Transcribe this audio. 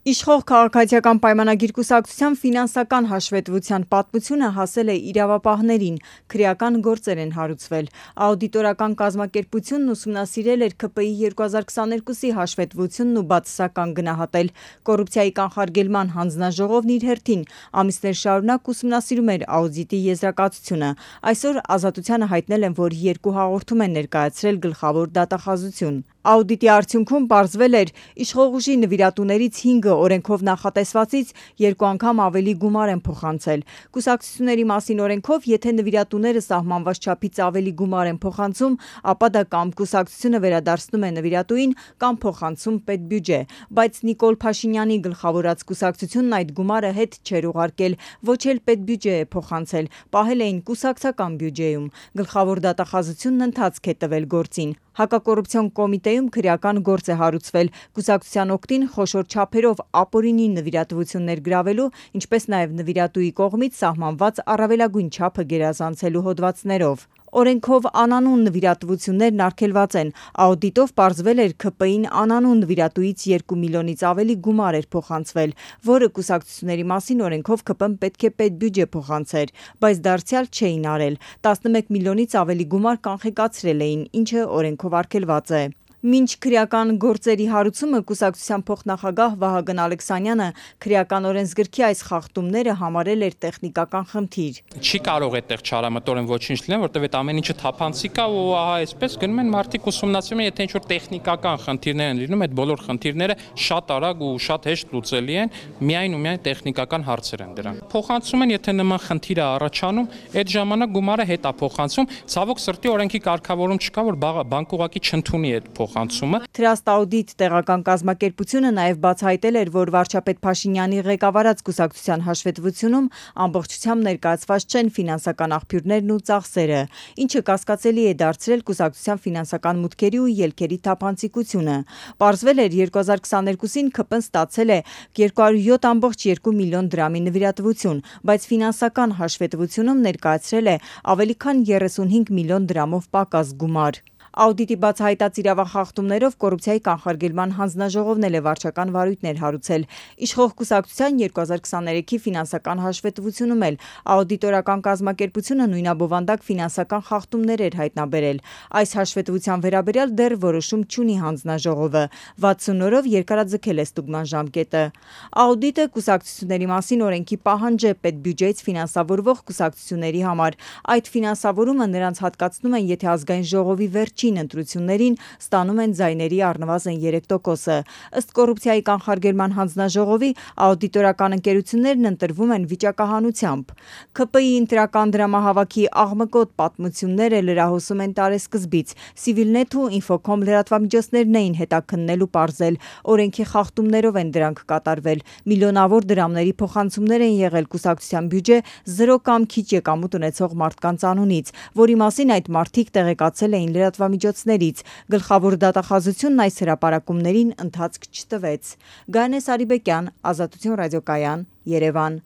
Իշխող քաղաքացիական պայմանագիր կուսակցության ֆինանսական հաշվետվության պատմությունը հասել է իրավապահներին, քրեական գործեր են հարուցվել։ Աուդիտորական կազմակերպությունն ուսումնասիրել էր ՔՊԻ 2022-ի հաշվետվությունն ու բացասական գնահատել։ Կոռուպցիայի կանխարգելման հանձնաժողովն իր հերթին ամիսներ շարունակ ուսումնասիրում էր աուդիտի եզրակացությունը։ Այսօր Ազատությանը հայտնել են, որ 2 հաղորդում են ներկայացրել գլխավոր դատախազություն։ Աուդիտի արդյունքում պարզվել էր իշխող ուժի նվիրատուներից 5-ը օրենքով նախատեսվածից 2 անգամ ավելի գումար են փոխանցել։ Կուսակցությունների մասին օրենքով, եթե նվիրատուները սահմանված չափից ավելի գումար են փոխանցում, ապա դա կամ կուսակցությունը վերադարձնում է նվիրատուին, կամ փոխանցում պետբյուջե։ Բայց Նիկոլ Փաշինյանի գլխավորած կուսակցությունն այդ գումարը հետ չէր ուղարկել, ոչ էլ պետբյուջե է փոխանցել, պահել էին կուսակցական բյուջեում։ Գլխավոր դատախազությունն ընթացք է տվել գործին։ Հակակոռուպցիոն կոմիտեում քրեական գործ է հարուցվել կուսակցության օգտին խոշոր չափերով ապօրինի նվիրատվություններ գրավելու, ինչպես նաև նվիրատուի կողմից սահմանված առավելագույն չափը գերազանցելու հոդվածներով։ Օրենքով անանուն նվիրատվություններն արգելված են։ Աուդիտով պարզվել էր ՔՊԻ-ն անանուն նվիրատուից 2 միլիոնից ավելի գումար էր փոխանցվել, որը կուսակցությունների մասին օրենքով ՔՊ-ն պետք է պետբյուջե փոխանցեր, բայց դարձյալ չէին արել։ 11 միլիոնից ավելի գումար կանխիկացրել էին, ինչը օրենքով արգելված է։ Մինչ քրեական գործերի հարուցումը կուսակցության փոխնախագահ Վահագն Ալեքսանյանը քրեական օրենսգրքի այս խախտումները համարել էր տեխնիկական խնդիր։ Չի կարող այդտեղ չարամտորեն ոչինչ լինել, որտեղ այդ ամեն ինչը թափանցիկ է ու ահա այսպես գնում են մարդիկ ուսումնասիրում են, եթե ինչ-որ տեխնիկական խնդիրներ են լինում, այդ բոլոր խնդիրները շատ արագ ու շատ հեշտ լուծելի են, միայն ու միայն տեխնիկական հարցեր են դրանք։ Փոխանցում են, եթե նման խնդիր է առաջանում, այդ ժամանակ գումարը հետ է փոխանցում, ցավոք սրտի օրենքի կարգավորում չկա, որ բանկը ուղղակի չընդունի այդ փոխանցումը։ Trust Audit տեղական կազմակերպությունը նաև բացահայտել էր, որ վարչապետ Փաշինյանի ղեկավարած կուսակցության հաշվետվությունում ամբողջությամբ ներկայացված չեն ֆինանսական աղբյուրներն ու ծախսերը, ինչը կասկածելի է դարձրել կուսակցության ֆինանսական մուտքերի ու ելքերի թափանցիկությունը։ Պարզվել էր 2022-ին ՔՊ-ն ստացել է 207.2 միլիոն դրամի նվիրատվություն, բայց ֆինանսական հաշվետվությունում ներկայացրել է ավելի քան 35 միլիոն դրամով պակաս գումար։ Աուդիտի բացահայտած իրավախախտումներով կոռուպցիայի կանխարգելման հանձնաժողովն էլ է վարչական վարույթներ հարուցել։ Իշխող կուսակցության 2023-ի ֆինանսական հաշվետվությունում էլ աուդիտորական կազմակերպությունը նույնաբովանդակ ֆինանսական խախտումներ էր հայտնաբերել։ Այս հաշվետվության վերաբերյալ դեռ որոշում չունի հանձնաժողովը։ 60 օրով երկարաձգել է ստուգման ժամկետը։ Աուդիտը կուսակցությունների մասին օրենքի պահանջ է պետբյուջեից ֆինանսավորվող կուսակցությունների համար։ Այդ ֆինանսավորումը նրանց հատկացնում են, եթե ազգային ժողովի վերջին ընտրություններին ստանում են ձայների առնվազն 3%-ը։ Ըստ կոռուպցիայի կանխարգելման հանձնաժողովի, աուդիտորական ընկերություններն ընտրվում են վիճակահանությամբ։ ՔՊԻ ընտրական դրամահավաքի աղմկոտ պատմությունները լրահոսում են տարեսկզբից։ Civilnet ու Infocom լրատվամիջոցներն էին հետաքննել ու պարզել։ Օրենքի խախտումներով են դրանք կատարվել։ Միլիոնավոր դրամների փոխանցումներ են եղել կուսակցության բյուջե 0 կամ քիչ եկամուտ ունեցող մարդկանց անունից, որի մասին այդ մարդիկ տեղեկացել էին լրատվամիջոցներից։ Գլխավոր դատախազությունն այս հրապարակումներին ընթացք չտվեց։ Գայանե Սարիբեկյան, Ազատություն ռադիոկայան, Երևան։